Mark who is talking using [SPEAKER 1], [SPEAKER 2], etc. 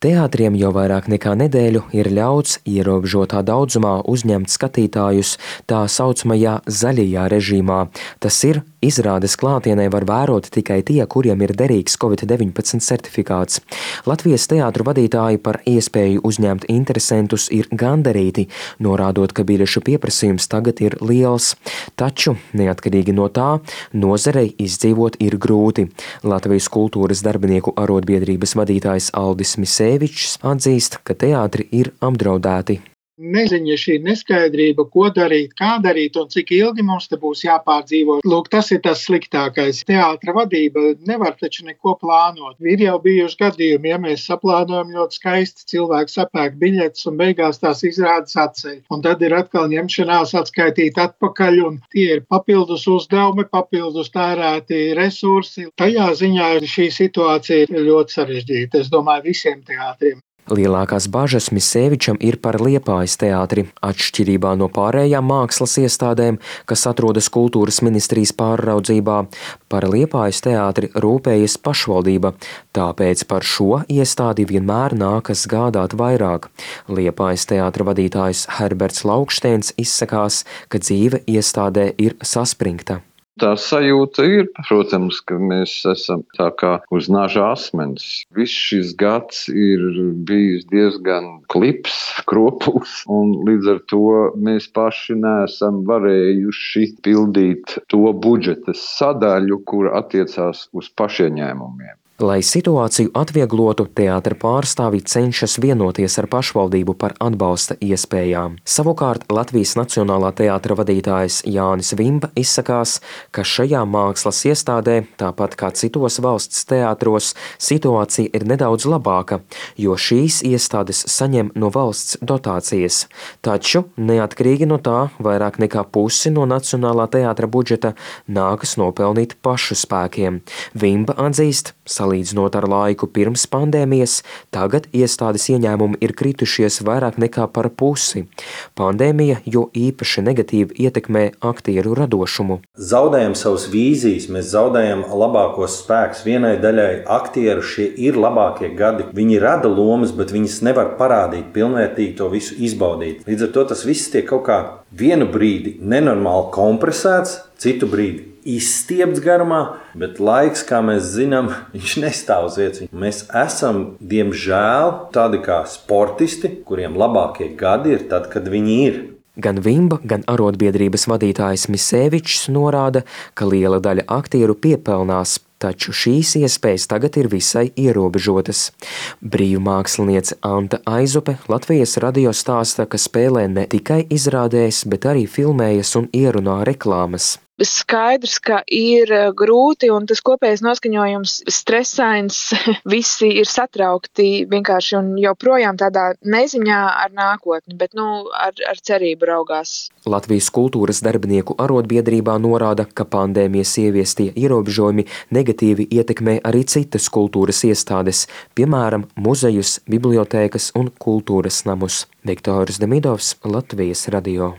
[SPEAKER 1] Teātriem jau vairāk nekā nedēļu ir ļauts ierobežotā daudzumā uzņemt skatītājus tā saucamajā zaļajā režīmā. Tas ir, izrādes klātienē var vērot tikai tie, kuriem ir derīgs Covid-19 certifikāts. Latvijas teātru vadītāji par iespēju uzņemt interesentus ir gandarīti, norādot, ka biļešu pieprasījums tagad ir liels. Taču, neatkarīgi no tā, nozarei izdzīvot ir grūti. Latvijas kultūras darbinieku arotbiedrības vadītājs Aldis Misēvičs atzīst, ka teātri ir apdraudēti.
[SPEAKER 2] Neziņa, šī neskaidrība, ko darīt, kā darīt un cik ilgi mums te būs jāpārdzīvo. Lūk, tas ir tas sliktākais. Teātra vadība nevar taču neko plānot. Ir jau bijuši gadījumi, ja mēs saplānojam ļoti skaisti, cilvēki sapērk biļetes un beigās tās izrādes atceļ. Un tad ir atkal ņemšanās atskaitīt atpakaļ, un tie ir papildus uzdevumi, papildus tērēti resursi. Tajā ziņā šī situācija ir ļoti sarežģīta, es domāju, visiem teātriem.
[SPEAKER 1] Lielākās bažas Misēvičam ir par Liepājas teātri. Atšķirībā no pārējām mākslas iestādēm, kas atrodas kultūras ministrijas pārraudzībā, par Liepājas teātri rūpējas pašvaldība, tāpēc par šo iestādi vienmēr nākas gādāt vairāk. Liepājas teātra vadītājs Herberts Laukštēns izsakās, ka dzīve iestādē ir saspringta.
[SPEAKER 3] Tā sajūta ir, protams, ka mēs esam tā kā uz naža asmens. Viss šis gads ir bijis diezgan klips, kropls, un līdz ar to mēs paši neesam varējuši pildīt to budžeta sadaļu, kur attiecās uz pašieņēmumiem.
[SPEAKER 1] Lai situāciju atvieglotu, teātra pārstāvji cenšas vienoties ar pašvaldību par atbalsta iespējām. Savukārt Latvijas Nacionālā teātra vadītājs Jānis Vimba izsakās, ka šajā mākslas iestādē, tāpat kā citos valsts teātros, situācija ir nedaudz labāka, jo šīs iestādes saņem no valsts dotācijas. Taču, neatkarīgi no tā, vairāk nekā pusi no Nacionālā teātra budžeta nākas nopelnīt pašu spēkiem. Vimba atzīst, salīdzinot ar laiku pirms pandēmijas, tagad iestādes ieņēmumi ir kritušies vairāk nekā par pusi. Pandēmija jo īpaši negatīvi ietekmē aktieru radošumu.
[SPEAKER 4] Zaudējam savas vīzijas, mēs zaudējam labākos spēkus. Vienai daļai aktieru šie ir labākie gadi. Viņi rada lomas, bet viņas nevar parādīt, pilnvērtīgi to visu izbaudīt. Līdz ar to tas viss tiek kaut kā vienu brīdi nenormāli kompresēts, citu brīdi izstiepts garumā, bet laiks, kā mēs zinām, viņš nestāv uz vietas. Mēs esam, diemžēl, tādi kā sportisti, kuriem labākie gadi ir tad, kad viņi ir.
[SPEAKER 1] Gan Vimba, gan arotbiedrības vadītājs Misēvičs norāda, ka liela daļa aktieru piepelnās, taču šīs iespējas tagad ir visai ierobežotas. Brīvmāksliniece Anta Aizupe Latvijas radio stāsta, ka spēlē ne tikai izrādēs, bet arī filmējas un ierunā reklāmas.
[SPEAKER 5] Skaidrs, ka ir grūti un tas kopējais noskaņojums stresains, visi ir satraukti vienkārši un joprojām tādā neziņā ar nākotni, bet ar cerību raugās.
[SPEAKER 1] Latvijas kultūras darbinieku arotbiedrībā norāda, ka pandēmijas ieviestie ierobežojumi negatīvi ietekmē arī citas kultūras iestādes, piemēram, muzejus, bibliotēkas un kultūras namus. Viktors Demidovs, Latvijas radio.